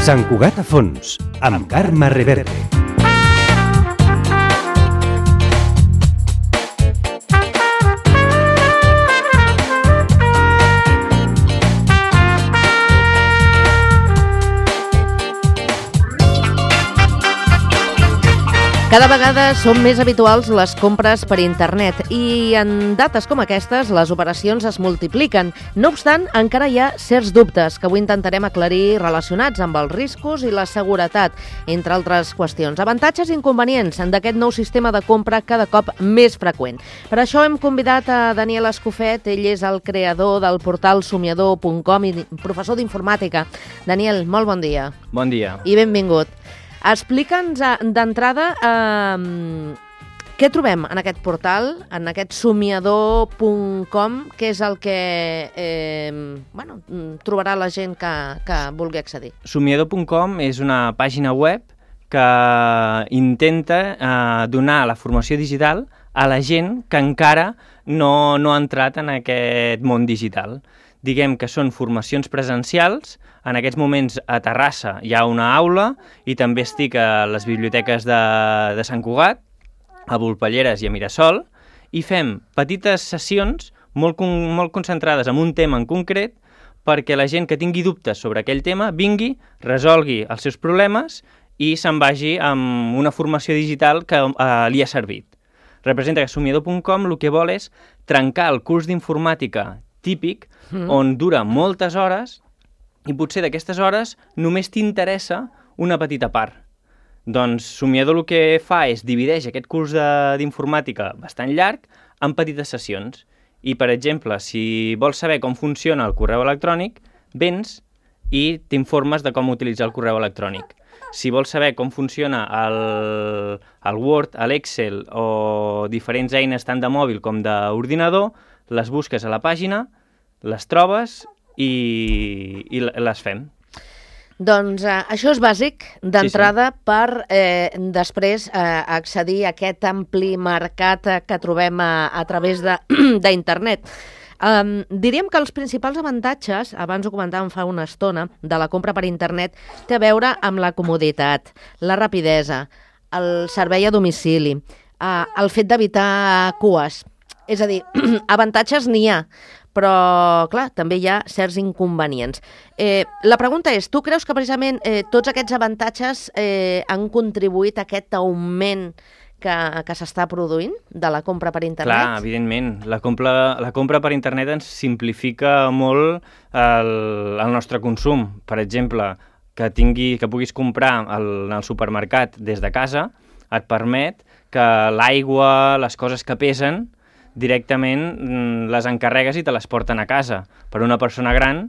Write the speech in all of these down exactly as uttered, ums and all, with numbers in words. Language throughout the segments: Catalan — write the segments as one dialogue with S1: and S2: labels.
S1: Sant Cugat a fons, amb Carme Reverte.
S2: Cada vegada són més habituals les compres per internet i en dates com aquestes les operacions es multipliquen. No obstant, encara hi ha certs dubtes que avui intentarem aclarir relacionats amb els riscos i la seguretat, entre altres qüestions. Avantatges i inconvenients d'aquest nou sistema de compra cada cop més freqüent. Per això hem convidat a Daniel Escofet, ell és el creador del portal somiador punt com i professor d'informàtica. Daniel, molt bon dia.
S3: Bon dia.
S2: I benvingut. Explica'ns d'entrada eh, què trobem en aquest portal, en aquest somiador punt com, què és el que eh, bueno, trobarà la gent que, que vulgui accedir.
S3: somiador punt com és una pàgina web que intenta eh, donar la formació digital a la gent que encara no, no ha entrat en aquest món digital. Diguem que són formacions presencials. En aquests moments a Terrassa hi ha una aula i també estic a les biblioteques de, de Sant Cugat, a Volpelleres i a Mirasol, i fem petites sessions molt, con molt concentrades en un tema en concret perquè la gent que tingui dubtes sobre aquell tema vingui, resolgui els seus problemes i se'n vagi amb una formació digital que eh, li ha servit. Representa que somiador punt com el que vol és trencar el curs d'informàtica típic, mm. on dura moltes hores i potser d'aquestes hores només t'interessa una petita part. Doncs Somiador el que fa és divideix aquest curs d'informàtica bastant llarg en petites sessions. I, per exemple, si vols saber com funciona el correu electrònic, vens i t'informes de com utilitzar el correu electrònic. Si vols saber com funciona el, el Word, l'Excel o diferents eines tant de mòbil com d'ordinador, les busques a la pàgina, les trobes i, i les fem.
S2: Doncs eh, això és bàsic d'entrada sí, sí. per eh, després eh, accedir a aquest ampli mercat eh, que trobem a, a través d'internet. Um, diríem que els principals avantatges, abans ho comentàvem fa una estona, de la compra per internet té a veure amb la comoditat, la rapidesa, el servei a domicili, uh, el fet d'evitar cues. És a dir, avantatges n'hi ha, però, clar, també hi ha certs inconvenients. Eh, la pregunta és, tu creus que precisament eh, tots aquests avantatges eh, han contribuït a aquest augment que, que s'està produint de la compra per internet?
S3: Clar, evidentment. La compra, la compra per internet ens simplifica molt el, el nostre consum. Per exemple, que, tingui, que puguis comprar al, al supermercat des de casa et permet que l'aigua, les coses que pesen, directament les encarregues i te les porten a casa. Per una persona gran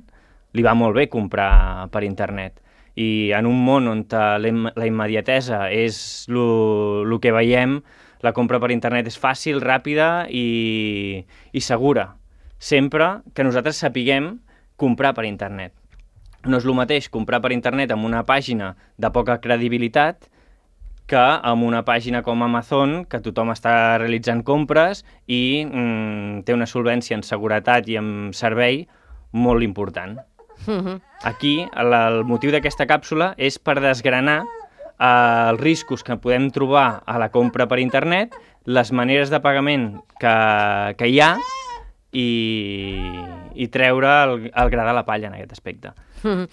S3: li va molt bé comprar per internet. I en un món on la immediatesa és el que veiem, la compra per internet és fàcil, ràpida i, i segura. Sempre que nosaltres sapiguem comprar per internet. No és el mateix comprar per internet amb una pàgina de poca credibilitat que amb una pàgina com Amazon, que tothom està realitzant compres i mm, té una solvència en seguretat i en servei molt important. Uh-huh. Aquí, el, el motiu d'aquesta càpsula és per desgranar eh, els riscos que podem trobar a la compra per internet, les maneres de pagament que, que hi ha i, i treure el, el gra de la palla en aquest aspecte.
S2: Uh-huh.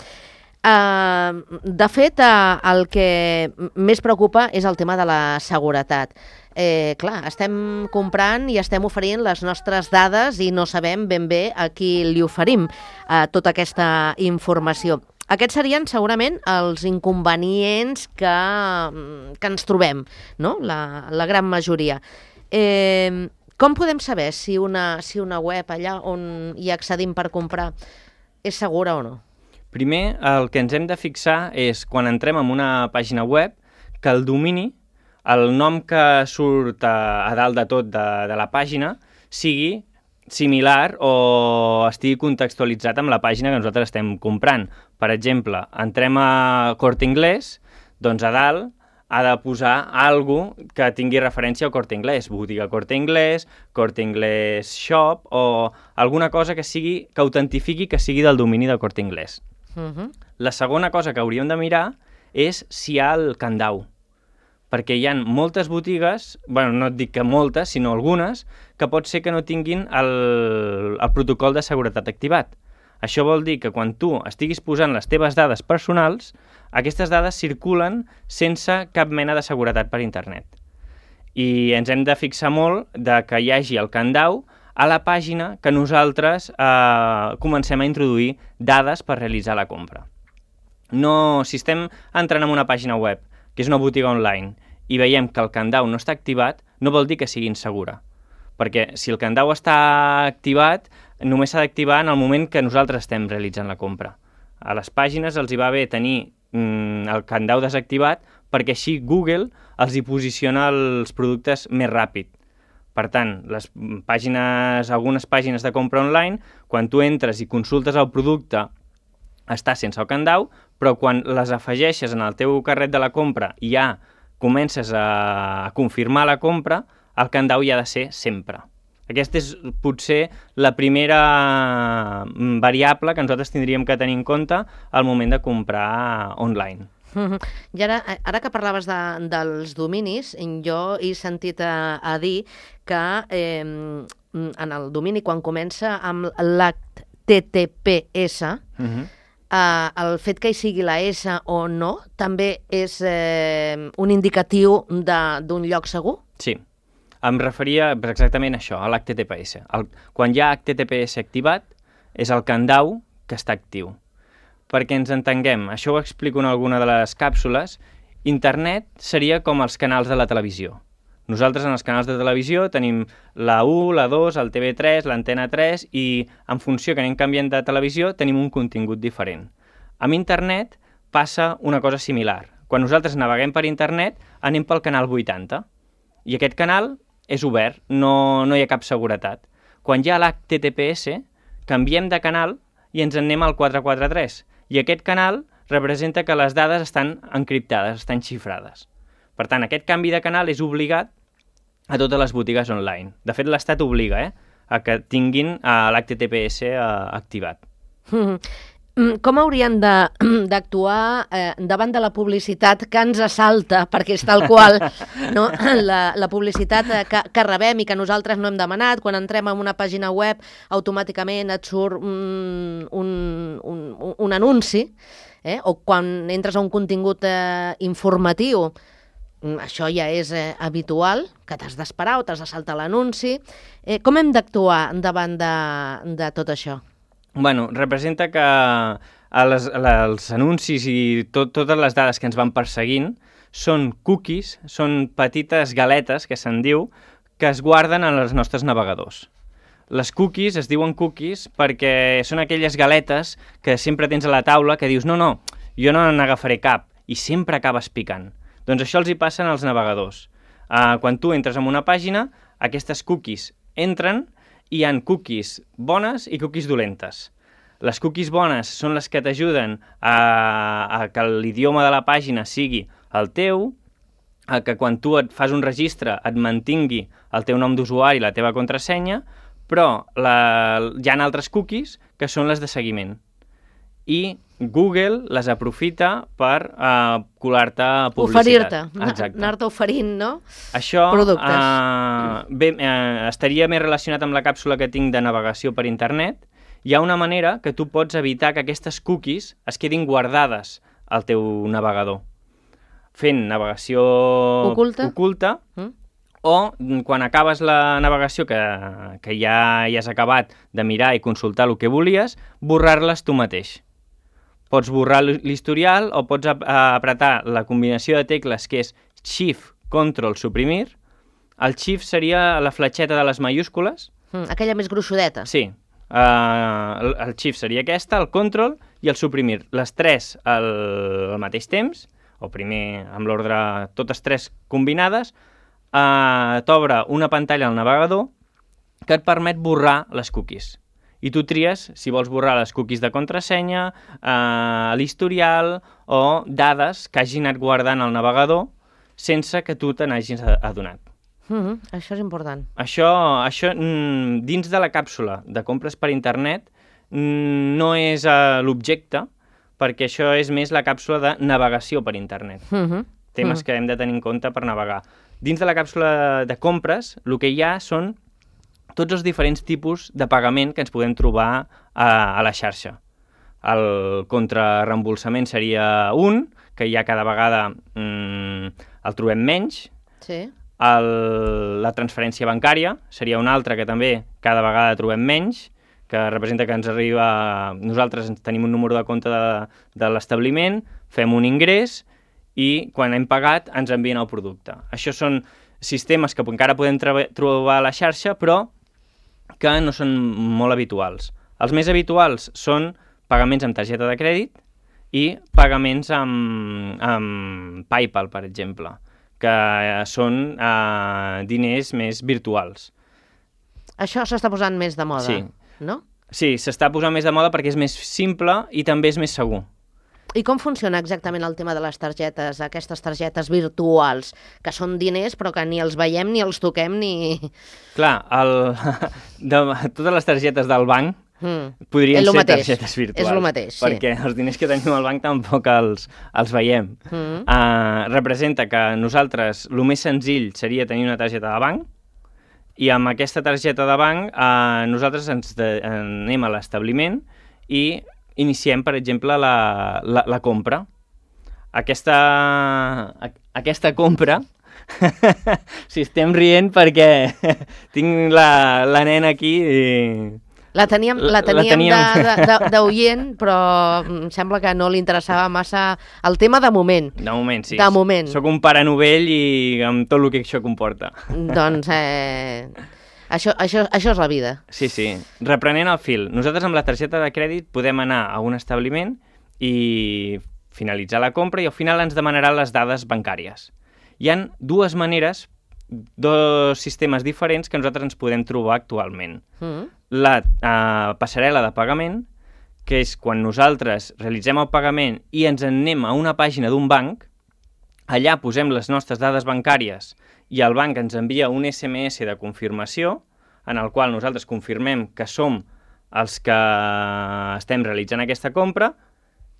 S2: Uh, de fet, uh, el que més preocupa és el tema de la seguretat. Eh, clar, estem comprant i estem oferint les nostres dades i no sabem ben bé a qui li oferim uh, tota aquesta informació. Aquests serien segurament els inconvenients que, que ens trobem, no? La, la gran majoria. Eh, com podem saber si una, si una web allà on hi accedim per comprar és segura o no?
S3: Primer, el que ens hem de fixar és, quan entrem en una pàgina web, que el domini, el nom que surt a, a dalt de tot de, de la pàgina, sigui similar o estigui contextualitzat amb la pàgina que nosaltres estem comprant. Per exemple, entrem a Corte Inglés, doncs a dalt ha de posar alguna cosa que tingui referència al Corte Inglés, botiga Corte Inglés, Corte Inglés Shop, o alguna cosa que sigui que autentifiqui que sigui del domini del Corte Inglés.
S2: Uh-huh.
S3: La segona cosa que hauríem de mirar és si hi ha el candau, perquè hi ha moltes botigues, bueno, no et dic que moltes, sinó algunes, que pot ser que no tinguin el, el protocol de seguretat activat. Això vol dir que quan tu estiguis posant les teves dades personals, aquestes dades circulen sense cap mena de seguretat per internet. I ens hem de fixar molt de que hi hagi el candau a la pàgina que nosaltres eh, comencem a introduir dades per realitzar la compra. No, si estem entrant en una pàgina web, que és una botiga online, i veiem que el candau no està activat, no vol dir que sigui insegura. Perquè si el candau està activat, només s'ha d'activar en el moment que nosaltres estem realitzant la compra. A les pàgines els hi va bé tenir mm, el candau desactivat perquè així Google els hi posiciona els productes més ràpid. Per tant, les pàgines, algunes pàgines de compra online, quan tu entres i consultes el producte, està sense el candau, però quan les afegeixes en el teu carret de la compra i ja comences a confirmar la compra, el candau hi ha de ser sempre. Aquesta és potser la primera variable que nosaltres tindríem que tenir en compte al moment de comprar online.
S2: I ara, ara que parlaves de, dels dominis, jo he sentit a, a dir que eh, en el domini, quan comença amb l'H T T P S, uh-huh. eh, el fet que hi sigui la S o no també és eh, un indicatiu d'un lloc segur?
S3: Sí, em referia exactament a això, a l'H T T P S. El, quan hi ha H T T P S activat, és el candau que està actiu. Perquè ens entenguem, això ho explico en alguna de les càpsules, internet seria com els canals de la televisió. Nosaltres en els canals de televisió tenim la u, la dos, el T V tres, l'Antena tres i en funció que anem canviant de televisió tenim un contingut diferent. Amb internet passa una cosa similar. Quan nosaltres naveguem per internet anem pel canal vuitanta i aquest canal és obert, no, no hi ha cap seguretat. Quan hi ha l'H T T P S canviem de canal i ens anem al quatre quatre tres. I aquest canal representa que les dades estan encriptades, estan xifrades. Per tant, aquest canvi de canal és obligat a totes les botigues online. De fet, l'Estat obliga eh, a que tinguin uh, l'H T T P S uh, activat.
S2: Com haurien d'actuar eh, davant de la publicitat que ens assalta, perquè és tal qual, no? la, la publicitat que, que rebem i que nosaltres no hem demanat, quan entrem en una pàgina web automàticament et surt un, un, un, un anunci, eh? O quan entres a un contingut eh, informatiu, això ja és eh, habitual, que t'has d'esperar o t'has de saltar l'anunci. Eh, com hem d'actuar davant de, de tot això?
S3: Bueno, representa que les, els anuncis i tot, totes les dades que ens van perseguint són cookies, són petites galetes, que se'n diu, que es guarden en els nostres navegadors. Les cookies es diuen cookies perquè són aquelles galetes que sempre tens a la taula que dius no, no, jo no n'agafaré cap i sempre acabes picant. Doncs això els hi passa als navegadors. Uh, quan tu entres en una pàgina, aquestes cookies entren hi ha cookies bones i cookies dolentes. Les cookies bones són les que t'ajuden a, a que l'idioma de la pàgina sigui el teu, a que quan tu et fas un registre et mantingui el teu nom d'usuari i la teva contrasenya, però la, hi ha altres cookies que són les de seguiment. I Google les aprofita per uh, colar-te publicitat.
S2: Oferir-te, anar-te oferint, no?
S3: Això
S2: productes.
S3: Uh, bé, uh, estaria més relacionat amb la càpsula que tinc de navegació per internet. Hi ha una manera que tu pots evitar que aquestes cookies es quedin guardades al teu navegador. Fent navegació
S2: oculta,
S3: oculta mm. o quan acabes la navegació que, que ja, ja has acabat de mirar i consultar el que volies, borrar-les tu mateix. Pots borrar l'historial o pots apretar la combinació de tecles que és Shift, Control, Suprimir. El Shift seria la fletxeta de les majúscules.
S2: Mm, aquella més gruixudeta.
S3: Sí. Uh, el, el Shift seria aquesta, el Control i el Suprimir. Les tres al, al mateix temps, o primer amb l'ordre, totes tres combinades, uh, t'obre una pantalla al navegador que et permet borrar les cookies. I tu tries si vols borrar les cookies de contrasenya, eh, l'historial o dades que hagi anat guardant el navegador sense que tu te n'hagis adonat.
S2: Mm-hmm. Això és important.
S3: Això, això mm, dins de la càpsula de compres per internet mm, no és uh, l'objecte, perquè això és més la càpsula de navegació per internet. Mm-hmm. Temes mm-hmm. que hem de tenir en compte per navegar. Dins de la càpsula de compres, el que hi ha són tots els diferents tipus de pagament que ens podem trobar a, a la xarxa. El contrarreembolsament seria un, que ja cada vegada mm, el trobem menys.
S2: Sí.
S3: El, la transferència bancària seria un altre que també cada vegada trobem menys, que representa que ens arriba... Nosaltres tenim un número de compte de, de l'establiment, fem un ingrés i quan hem pagat ens envien el producte. Això són sistemes que encara podem trobar a la xarxa, però que no són molt habituals. Els més habituals són pagaments amb targeta de crèdit i pagaments amb, amb PayPal, per exemple, que són eh, diners més virtuals.
S2: Això s'està posant més de moda,
S3: sí.
S2: no?
S3: Sí, s'està posant més de moda perquè és més simple i també és més segur.
S2: I com funciona exactament el tema de les targetes, aquestes targetes virtuals, que són diners però que ni els veiem ni els toquem ni...
S3: Clar, el, de, totes les targetes del banc mm. podrien ser mateix. targetes virtuals.
S2: És el mateix, sí.
S3: Perquè els diners que tenim al banc tampoc els, els veiem. Mm. Uh, representa que nosaltres el més senzill seria tenir una targeta de banc i amb aquesta targeta de banc uh, nosaltres ens de, anem a l'establiment i iniciem, per exemple, la, la, la compra. Aquesta, a, aquesta compra, si estem rient perquè tinc la, la nena aquí i...
S2: La teníem, la teníem, la teníem... d'oient, però em sembla que no li interessava massa el tema de moment.
S3: De moment, sí.
S2: De moment.
S3: Soc un pare novell i amb tot el que això comporta.
S2: Doncs... Eh... Això, això, això és la vida.
S3: Sí, sí. Reprenent el fil, nosaltres amb la targeta de crèdit podem anar a un establiment i finalitzar la compra i al final ens demanaran les dades bancàries. Hi ha dues maneres, dos sistemes diferents que nosaltres ens podem trobar actualment. Mm. La eh, passarel·la de pagament, que és quan nosaltres realitzem el pagament i ens en anem a una pàgina d'un banc, allà posem les nostres dades bancàries i el banc ens envia un esse eme esse de confirmació en el qual nosaltres confirmem que som els que estem realitzant aquesta compra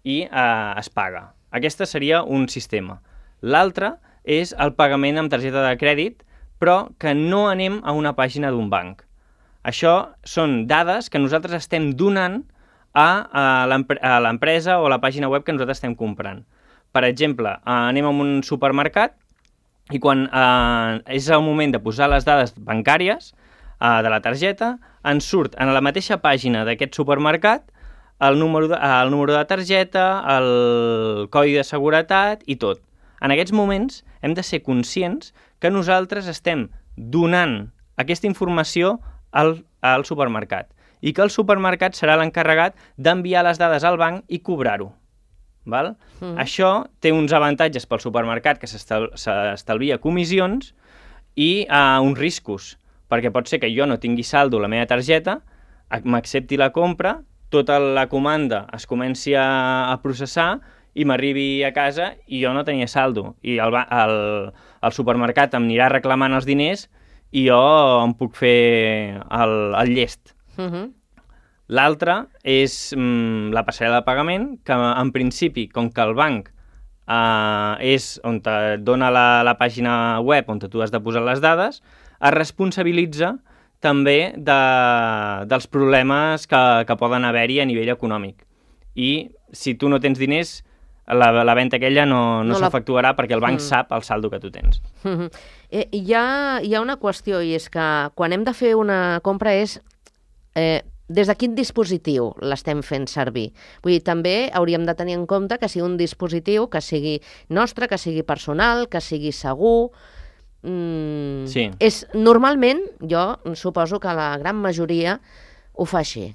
S3: i eh, es paga. Aquesta seria un sistema. L'altre és el pagament amb targeta de crèdit, però que no anem a una pàgina d'un banc. Això són dades que nosaltres estem donant a, a l'empresa o a la pàgina web que nosaltres estem comprant. Per exemple, eh, anem a un supermercat i quan eh, és el moment de posar les dades bancàries eh, de la targeta, ens surt en la mateixa pàgina d'aquest supermercat el número de, el número de targeta, el codi de seguretat i tot. En aquests moments hem de ser conscients que nosaltres estem donant aquesta informació al, al supermercat i que el supermercat serà l'encarregat d'enviar les dades al banc i cobrar-ho. Val? Mm. Això té uns avantatges pel supermercat que s'estalvia comissions i uh, uns riscos, perquè pot ser que jo no tingui saldo a la meva targeta, m'accepti la compra, tota la comanda es comenci a, a processar i m'arribi a casa i jo no tenia saldo. I el, el, el supermercat em anirà reclamant els diners i jo em puc fer el, el llest. Mm-hmm. L'altre és mm, la passarel·la de pagament, que en principi, com que el banc eh, és on et dona la, la pàgina web on tu has de posar les dades, es responsabilitza també de, dels problemes que, que poden haver-hi a nivell econòmic. I si tu no tens diners, la, la venda aquella no, no, no s'efectuarà la... perquè el banc mm. sap el saldo que tu tens.
S2: Mm-hmm. eh, hi, ha, hi ha una qüestió, i és que quan hem de fer una compra és... Eh, des de quin dispositiu l'estem fent servir? Vull dir, també hauríem de tenir en compte que sigui un dispositiu que sigui nostre, que sigui personal, que sigui segur. Mm,
S3: sí.
S2: És, normalment, jo suposo que la gran majoria ho fa així.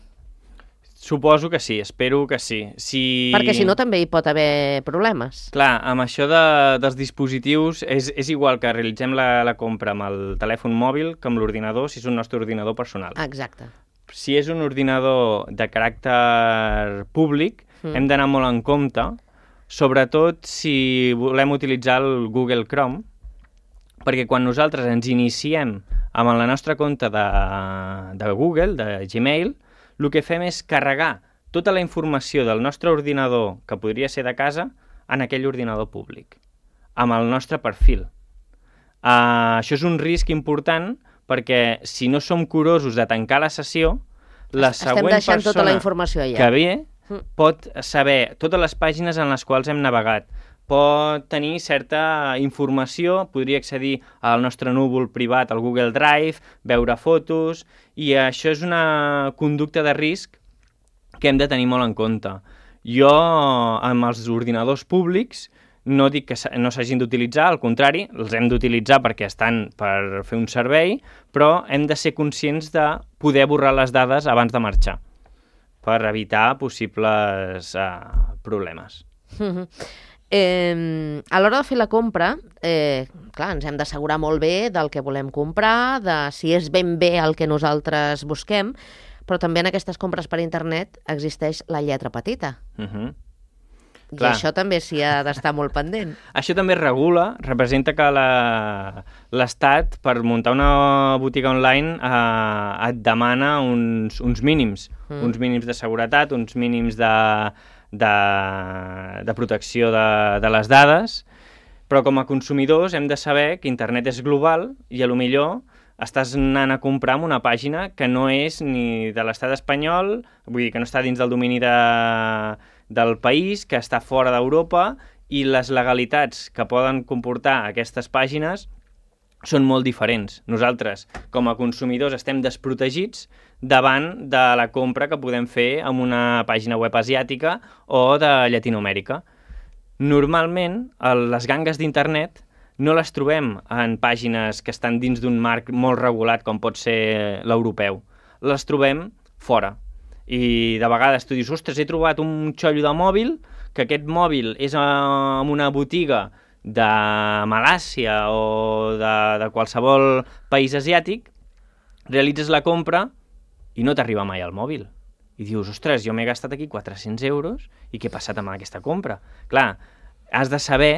S3: Suposo que sí, espero que sí. Si...
S2: Perquè si no també hi pot haver problemes.
S3: Clar, amb això de, dels dispositius és, és igual que realitzem la, la compra amb el telèfon mòbil que amb l'ordinador, si és un nostre ordinador personal.
S2: Exacte.
S3: Si és un ordinador de caràcter públic, mm. hem d'anar molt en compte, sobretot si volem utilitzar el Google Chrome, perquè quan nosaltres ens iniciem amb la nostra compte de, de Google, de Gmail, el que fem és carregar tota la informació del nostre ordinador, que podria ser de casa, en aquell ordinador públic, amb el nostre perfil. Uh, això és un risc important perquè si no som curosos de tancar la sessió, la
S2: Estem
S3: següent
S2: deixant
S3: persona
S2: tota la informació allà.
S3: que ve pot saber totes les pàgines en les quals hem navegat, pot tenir certa informació, podria accedir al nostre núvol privat, al Google Drive, veure fotos, i això és una conducta de risc que hem de tenir molt en compte. Jo, amb els ordinadors públics, no dic que no s'hagin d'utilitzar, al contrari, els hem d'utilitzar perquè estan per fer un servei, però hem de ser conscients de poder borrar les dades abans de marxar, per evitar possibles eh, problemes.
S2: Mm-hmm. Eh, a l'hora de fer la compra, eh, clar, ens hem d'assegurar molt bé del que volem comprar, de si és ben bé el que nosaltres busquem, però també en aquestes compres per internet existeix la lletra petita.
S3: Uh-huh.
S2: I
S3: Clar.
S2: això també s'hi ha d'estar molt pendent.
S3: Això també regula, representa que l'Estat, per muntar una botiga online, eh, et demana uns, uns mínims, mm. uns mínims de seguretat, uns mínims de, de, de protecció de, de les dades, però com a consumidors hem de saber que internet és global i a lo millor estàs anant a comprar en una pàgina que no és ni de l'estat espanyol, vull dir que no està dins del domini de, del país, que està fora d'Europa, i les legalitats que poden comportar aquestes pàgines són molt diferents. Nosaltres, com a consumidors, estem desprotegits davant de la compra que podem fer en una pàgina web asiàtica o de Llatinoamèrica. Normalment, les gangues d'internet no les trobem en pàgines que estan dins d'un marc molt regulat com pot ser l'europeu. Les trobem fora. I de vegades tu dius, ostres, he trobat un xollo de mòbil, que aquest mòbil és en una botiga de Malàsia o de, de qualsevol país asiàtic, realitzes la compra i no t'arriba mai al mòbil. I dius, ostres, jo m'he gastat aquí quatre-cents euros i què ha passat amb aquesta compra? Clar, has de saber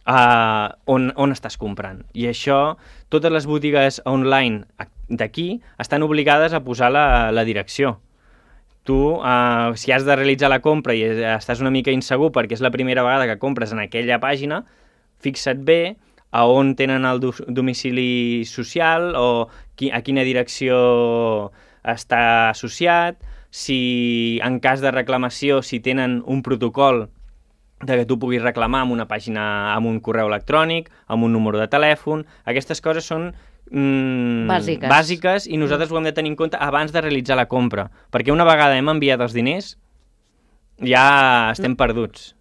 S3: Uh, on, on estàs comprant. I això, totes les botigues online d'aquí estan obligades a posar la, la direcció. Tu, uh, si has de realitzar la compra i estàs una mica insegur perquè és la primera vegada que compres en aquella pàgina, fixa't bé a on tenen el do domicili social o qui, a quina direcció està associat, si en cas de reclamació, si tenen un protocol de que tu puguis reclamar amb una pàgina, amb un correu electrònic, amb un número de telèfon. Aquestes coses són mm,
S2: bàsiques.
S3: bàsiques i nosaltres ho hem de tenir en compte abans de realitzar la compra, perquè una vegada hem enviat els diners ja estem perduts.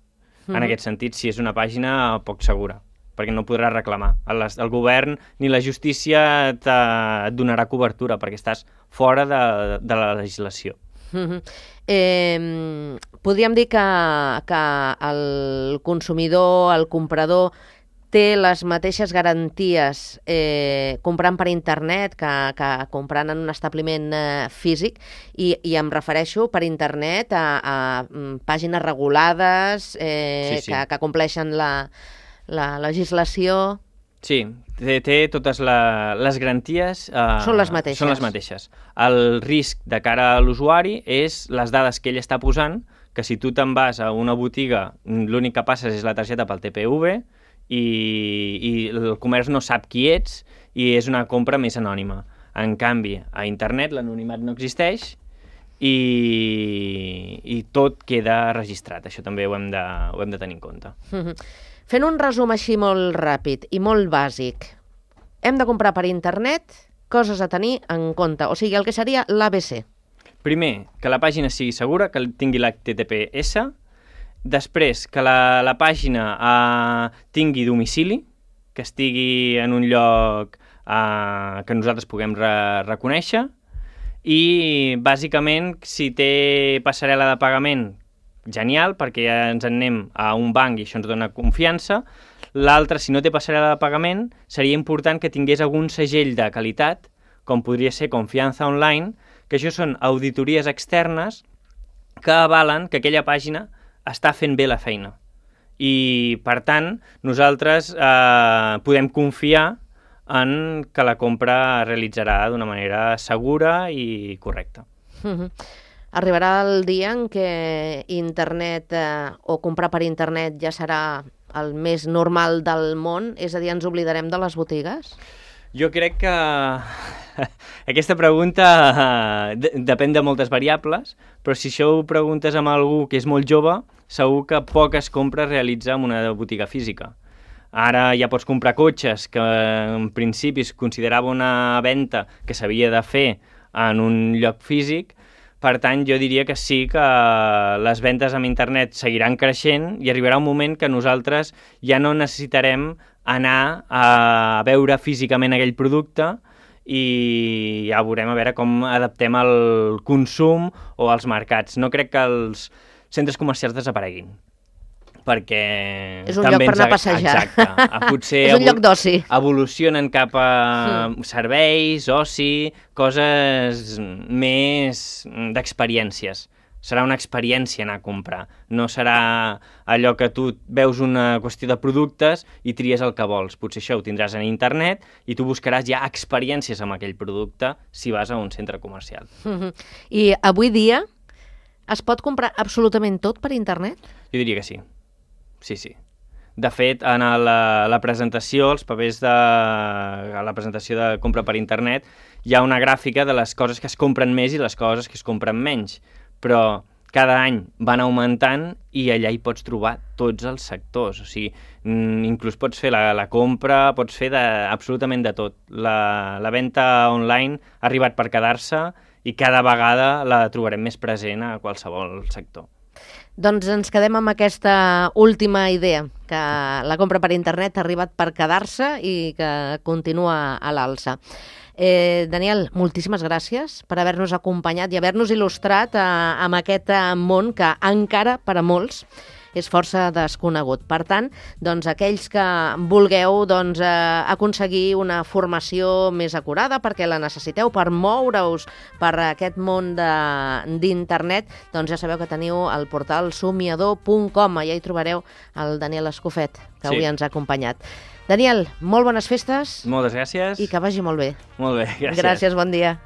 S3: En aquest sentit, si és una pàgina poc segura, perquè no podràs reclamar. El, el govern ni la justícia et donarà cobertura perquè estàs fora de, de la legislació.
S2: Uh-huh. eh, podríem dir que, que el consumidor, el comprador, té les mateixes garanties eh, comprant per internet que, que comprant en un establiment eh, físic, i, i em refereixo per internet a, a, a pàgines regulades eh, sí, sí. Que, que compleixen la, la legislació.
S3: Sí, té, té totes la, les garanties... Eh,
S2: són les mateixes.
S3: Són les mateixes. El risc de cara a l'usuari és les dades que ell està posant, que si tu te'n vas a una botiga, l'únic que passes és la targeta pel T P V i, i el comerç no sap qui ets i és una compra més anònima. En canvi, a internet l'anonimat no existeix i, i tot queda registrat. Això també ho hem de, ho hem de tenir en compte.
S2: Mm-hmm. Fent un resum així molt ràpid i molt bàsic, hem de comprar per internet, coses a tenir en compte, o sigui, el que seria l'A B C.
S3: Primer, que la pàgina sigui segura, que tingui l'H T T P S, després, que la, la pàgina eh, tingui domicili, que estigui en un lloc eh, que nosaltres puguem re reconèixer, i bàsicament, si té passarel·la de pagament, genial, perquè ja ens en anem a un banc i això ens dona confiança. L'altre, si no té passarel·la de pagament, seria important que tingués algun segell de qualitat, com podria ser Confiança Online, que això són auditories externes que avalen que aquella pàgina està fent bé la feina. I, per tant, nosaltres eh, podem confiar en que la compra es realitzarà d'una manera segura i correcta.
S2: Uh-huh. Arribarà el dia en què internet eh, o comprar per internet ja serà el més normal del món? És a dir, ens oblidarem de les botigues?
S3: Jo crec que aquesta pregunta uh, depèn de moltes variables, però si això ho preguntes amb algú que és molt jove, segur que poques compres realitza en una botiga física. Ara ja pots comprar cotxes que en principi es considerava una venda que s'havia de fer en un lloc físic. Per tant, jo diria que sí que les vendes amb internet seguiran creixent i arribarà un moment que nosaltres ja no necessitarem anar a veure físicament aquell producte i ja veurem a veure com adaptem el consum o els mercats. No crec que els centres comercials desapareguin, perquè...
S2: És un lloc per anar a passejar.
S3: Exacte. Potser
S2: és un lloc d'oci.
S3: Evolucionen cap a sí. serveis, oci, coses més d'experiències. Serà una experiència anar a comprar. No serà allò que tu veus una qüestió de productes i tries el que vols. Potser això ho tindràs en internet i tu buscaràs ja experiències amb aquell producte si vas a un centre comercial.
S2: Uh-huh. I avui dia es pot comprar absolutament tot per internet?
S3: Jo diria que sí. Sí, sí. De fet, en la, la presentació, els papers de la presentació de compra per internet, hi ha una gràfica de les coses que es compren més i les coses que es compren menys. Però cada any van augmentant i allà hi pots trobar tots els sectors. O sigui, inclús pots fer la, la compra, pots fer de, absolutament de tot. La, la venda online ha arribat per quedar-se i cada vegada la trobarem més present a qualsevol sector.
S2: Doncs ens quedem amb aquesta última idea, que la compra per internet ha arribat per quedar-se i que continua a l'alça. Eh, Daniel, moltíssimes gràcies per haver-nos acompanyat i haver-nos il·lustrat eh, amb aquest món que encara per a molts és força desconegut. Per tant, doncs, aquells que vulgueu doncs, eh, aconseguir una formació més acurada perquè la necessiteu per moure-us per aquest món d'internet, doncs ja sabeu que teniu el portal somiador punt com. Allà hi trobareu el Daniel Escofet, que avui sí. ens ha acompanyat. Daniel, molt bones festes.
S3: Moltes gràcies.
S2: I que vagi molt bé.
S3: Molt bé, gràcies.
S2: Gràcies, bon dia.